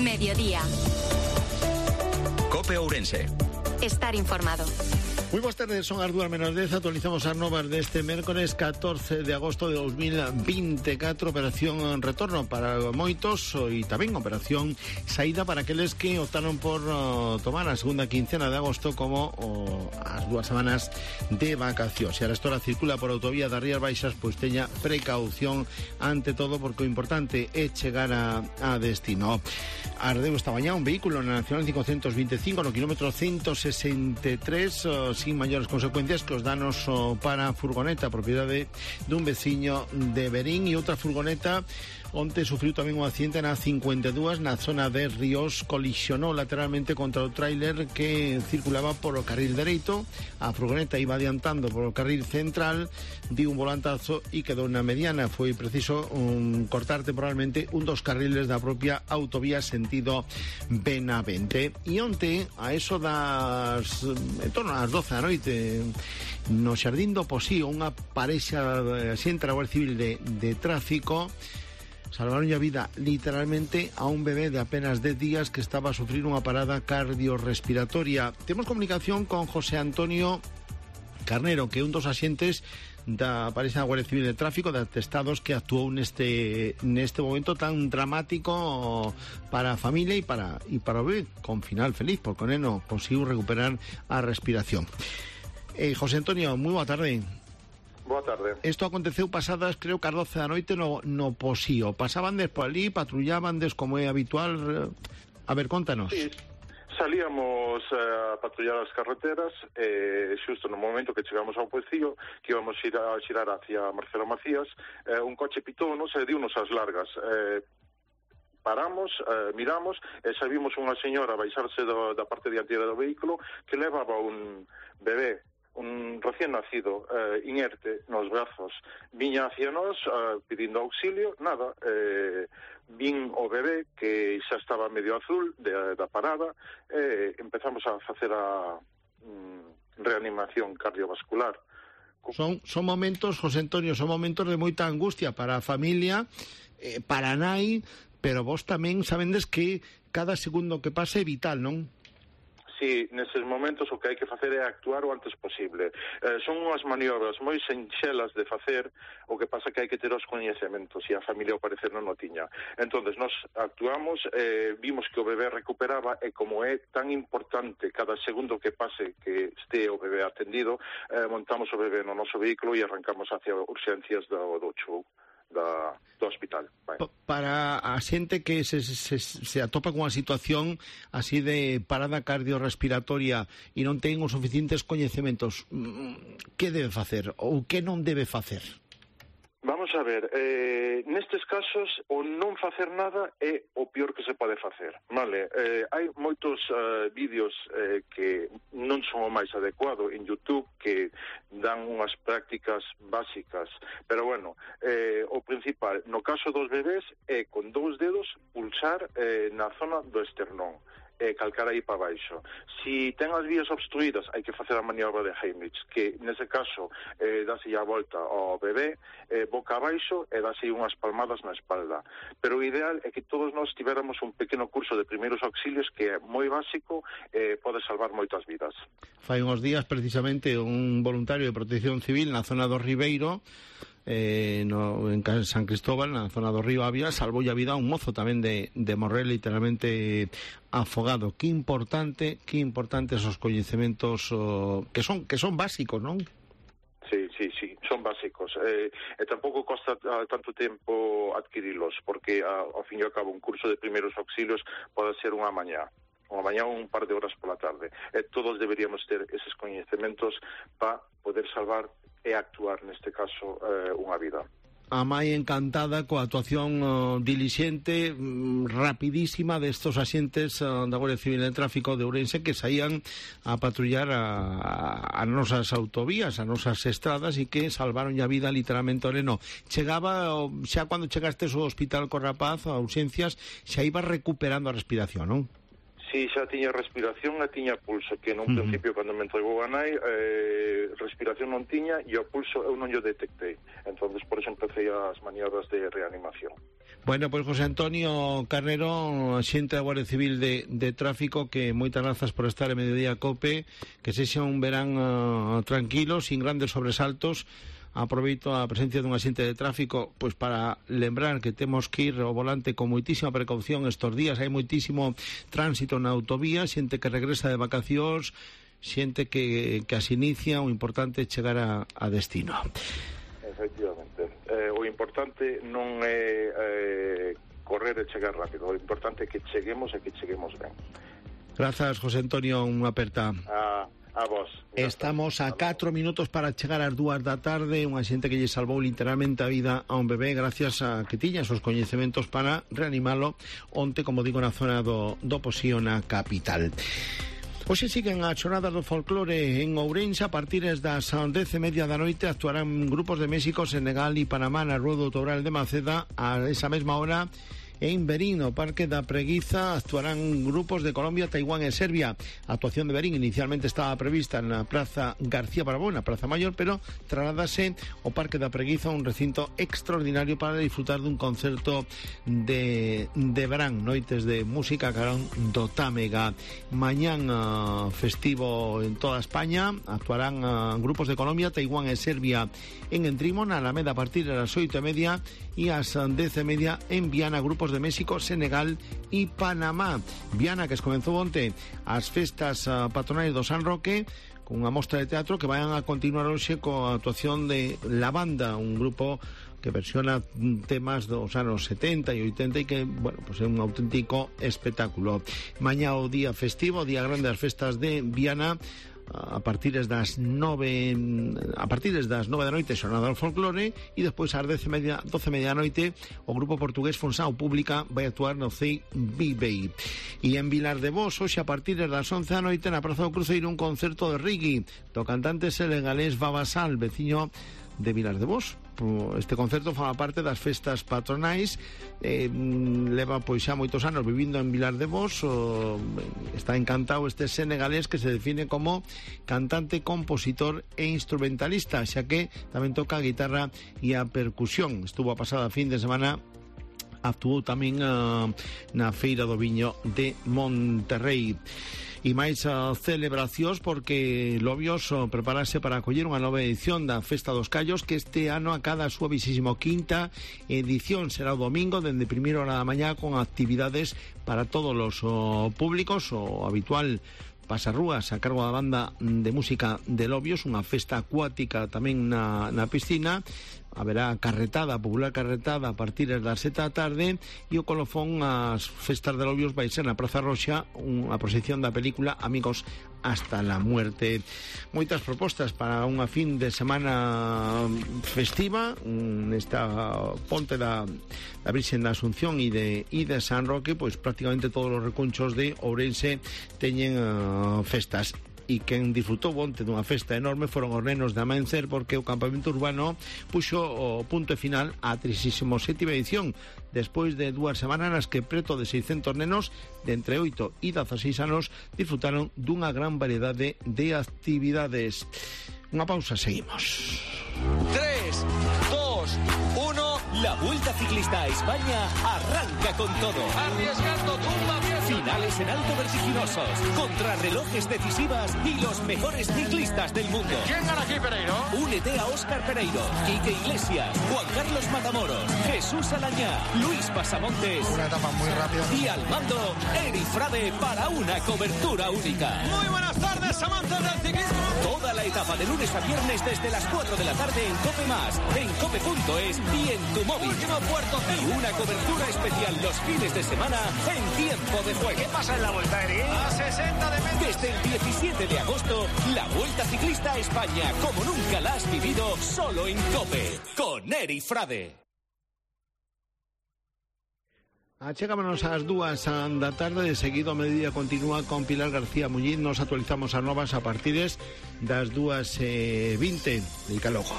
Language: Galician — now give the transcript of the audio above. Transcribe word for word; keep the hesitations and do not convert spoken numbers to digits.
Mediodía. COPE Ourense. Estar informado. Moi boas tardes, son as dúas menos dez. Actualizamos as novas deste mércores catorce de agosto de dos mil veinticuatro. Operación retorno para moitos e tamén operación saída para aqueles que optaron por uh, tomar a segunda quincena de agosto como uh, as dúas semanas de vacacións. Se a restora circula por autovía das Rías Baixas, pois teña precaución ante todo, porque o importante é chegar a, a destino. Ardeu esta mañá un vehículo na Nacional cincocentos veinticinco no kilómetro ciento sesenta e tres, uh, sin maiores consecuencias que os danos uh, para a furgoneta propiedade dun veciño de Berín. E outra furgoneta onte sufriu tamén un accidente na cincuenta e dúas na zona de Ríos. Colisionou lateralmente contra o tráiler que circulaba por o carril dereito. A furgoneta iba adiantando por o carril central, di un volantazo e quedou na mediana. Foi preciso um, cortar temporalmente un dos carriles da propia autovía sentido Benavente. E onte, a eso das en torno ás doce da noite, no Xardín do Posío, unha parexa xente da Guardia Civil de, de tráfico salvaron a vida literalmente a un bebé de apenas dez días que estaba a sufrir unha parada cardiorrespiratoria. Temos comunicación con José Antonio Carnero, que é un dos axentes da parexa da Guardia Civil de Tráfico de atestados que actuou neste neste momento tan dramático para a familia e para e para o bebé, con final feliz, porque o neno conseguiu recuperar a respiración. Eh, José Antonio, moi boa tarde. Boa tarde. Isto aconteceu pasadas, creo que ás doce da noite no, no Posío. Pasaban des por ali, patrullaban des como é habitual. A ver, contanos. Sí, salíamos a patrullar as carreteras e xusto no momento que chegamos ao Posío, que íbamos a, ir a xirar hacia Marcelo Macías, eh, un coche pitónos e diunos as largas. Eh, paramos, eh, miramos e xa vimos unha señora baixarse do, da parte dianteira do vehículo que levaba un bebé, un recién nacido, eh, inerte nos brazos. Viña hacia nós eh, pedindo auxilio, nada, eh, vin o bebé que xa estaba medio azul de, da parada, e eh, empezamos a facer a mm, reanimación cardiovascular. Son, son momentos, José Antonio, son momentos de moita angustia para a familia, eh, para a nai, pero vos tamén sabendes que cada segundo que pasa é vital, non? Sí, neses momentos o que hai que facer é actuar o antes posible. Eh, son unhas maniobras moi sinxelas de facer, o que pasa que hai que ter os coñecementos, e a familia ao parecer non o tiña. Entonces, nós actuamos, eh, vimos que o bebé recuperaba, e como é tan importante cada segundo que pase que este o bebé atendido, eh, montamos o bebé no noso vehículo e arrancamos hacia urxencias do, do chou. Da, do hospital. Vai. Para a xente que se, se, se atopa con unha situación así de parada cardiorrespiratoria e non ten os suficientes coñecementos, que debe facer ou que non debe facer? Vamos a ver, eh, nestes casos o non facer nada é o peor que se pode facer, vale? Eh, hai moitos uh, vídeos eh, que non son o máis adecuado en YouTube, que dan unhas prácticas básicas, pero bueno, eh, o principal, no caso dos bebés, é con dous dedos pulsar eh, na zona do esternón, e calcar aí para baixo. Si ten as vías obstruídas, hai que facer a maniobra de Heimlich, que nese caso eh, dase a volta ao bebé, eh, boca abaixo, e dase unhas palmadas na espalda. Pero o ideal é que todos nós tivéramos un pequeno curso de primeiros auxilios que é moi básico e eh, pode salvar moitas vidas. Fai uns días, precisamente, un voluntario de Protección Civil na zona do Ribeiro, Eh, no, en San Cristóbal, na zona do río Ávila, salvou a vida a un mozo tamén de, de morrer literalmente afogado. Que importante, que importante esos coñecementos oh, que son que son básicos, non? Sí, sí, sí, son básicos. Eh, e tampouco costa uh, tanto tempo adquirilos, porque uh, ao fin e ao cabo un curso de primeiros auxilios pode ser unha mañá. Unha mañá ou un par de horas pola tarde. E todos deberíamos ter eses coñecementos para poder salvar e actuar, neste caso, eh, unha vida. A mai encantada coa actuación uh, dilixente, mm, rapidísima destos axentes uh, da Guardia Civil de Tráfico de Ourense que saían a patrullar a, a nosas autovías, a nosas estradas, e que salvaron a vida literalmente ao neno. Chegaba, xa cando chegastes ao hospital co rapaz, a urxencias, xa iba recuperando a respiración, non? Si xa tiña respiración e tiña pulso, que nun Uh-huh. principio cando me entregou a nai eh, respiración non tiña e o pulso eu non o detectei, entonces por eso empecé as maniobras de reanimación. Bueno, pois José Antonio Carnero, xente da Guardia Civil de, de Tráfico, que moitas grazas por estar en Mediodía Cope, que sexa un verán uh, tranquilo, sin grandes sobresaltos. Aproveito a presencia dun axente de tráfico pois para lembrar que temos que ir ao volante con moitísima precaución estes días. Hai moitísimo tránsito na autovía, xente que regresa de vacacións, xente que, que as inicia. O importante é chegar a, a destino. Efectivamente. Eh, o importante non é eh, correr e chegar rápido, o importante é que cheguemos e que cheguemos ben. Grazas, José Antonio, unha aperta. A, a vos. Estamos a catro minutos para chegar ás dúas da tarde. Unha xente que lle salvou literalmente a vida a un bebé gracias a que tiña os coñecementos para reanimalo onte, como digo, na zona do, do Posío, na capital. Hoxe siguen as xornadas do folclore en Ourense. A partir das dez e media da noite actuarán grupos de México, Senegal e Panamá na Rúa do Toural de Maceda. A esa mesma hora, en Verín, no Parque da Preguiza, actuarán grupos de Colombia, Taiwán e Serbia. A actuación de Verín inicialmente estaba prevista na Praza García Barabó, na Praza Maior, pero trasladase ao Parque da Preguiza, un recinto extraordinario para disfrutar dun concerto de, de verán, noites de música carón do Támega. Mañán uh, festivo en toda España, actuarán uh, grupos de Colombia, Taiwán e Serbia en Entrimo, na Alameda, a partir de las oito e media, e ás dez e media en Viana, grupos de México, Senegal e Panamá. Viana, que es comenzou onte as festas uh, patronais do San Roque, con unha mostra de teatro que vayan a continuar hoxe coa actuación de La Banda, un grupo que versiona temas dos anos setenta e oitenta e que, bueno, pues é un auténtico espectáculo. Mañá o día festivo, o día grande das festas de Viana, a partir das nove a partir das nove da noite xornada do folclore, e despois ás dez e media, doce e media da noite o grupo portugués Fonsao Pública vai actuar no C I B. E en Vilar de Vos, hoxe a partir das once da noite na Praza do Cruceiro, un concerto de reggae do cantante senegalés Babasal, veciño de Vilar de Vos. Este concerto forma parte das festas patronais, eh, leva pois xa moitos anos vivindo en Vilar de Vos. O, está encantado este senegalés, que se define como cantante, compositor e instrumentalista, xa que tamén toca a guitarra e a percusión. Estuvo a pasada fin de semana, actuou tamén uh, na Feira do Viño de Monterrey. E máis uh, celebracións, porque Lobios uh, preparase para acoller unha nova edición da Festa dos Callos, que este ano acada a súa vixésimo quinta edición. Será o domingo dende primeira hora da mañá, con actividades para todos os uh, públicos. O habitual pasarrúas a cargo da banda de música de Lobios, unha festa acuática tamén na, na piscina. Haberá carretada, popular carretada, a partir das sete da tarde, e o colofón ás festas de Lobios vai ser na Praza Roxa, unha proxección da película Amigos hasta la muerte. Moitas propostas para unha fin de semana festiva nesta ponte da, da Virxen da Asunción e de, e de San Roque. Pois prácticamente todos os recunchos de Ourense teñen uh, festas. E quen disfrutou onte dunha festa enorme foron os nenos de Amencer, porque o campamento urbano puxo o punto final á trinta e sétima edición, despois de dúas semanas nas que preto de seiscentos nenos de entre oito e dezaseis anos disfrutaron dunha gran variedade de actividades. Unha pausa, seguimos. tres, dos, uno. La Vuelta Ciclista a España arranca con todo. Arriesgando tumba vieja. Finales en alto vertiginosos, contrarrelojes decisivas y los mejores ciclistas del mundo. ¿Quién gana aquí, Pereiro? Únete a Óscar Pereiro, Quique Iglesias, Juan Carlos Matamoros, Jesús Alañá, Luis Pasamontes. Una etapa muy rápida. Y al mando, Eri Frade, para una cobertura única. Muy buenas tardes, amantes del ciclismo. Toda la etapa de lunes a viernes desde las cuatro de la tarde en Cope Más, en cope punto es y en tu móvil. Último puerto. Y una cobertura especial los fines de semana en tiempo de juego. ¿Qué pasa en la Vuelta, Eri? A sesenta de metros. Desde el diecisiete de agosto, la Vuelta Ciclista a España, como nunca la has vivido, solo en Cope, con Eri Frade. Achegámonos ás dúas da tarde. De seguido a Mediodía continúa con Pilar García Muñiz. Nos actualizamos as novas a partir das dúas e vinte. Dica logo.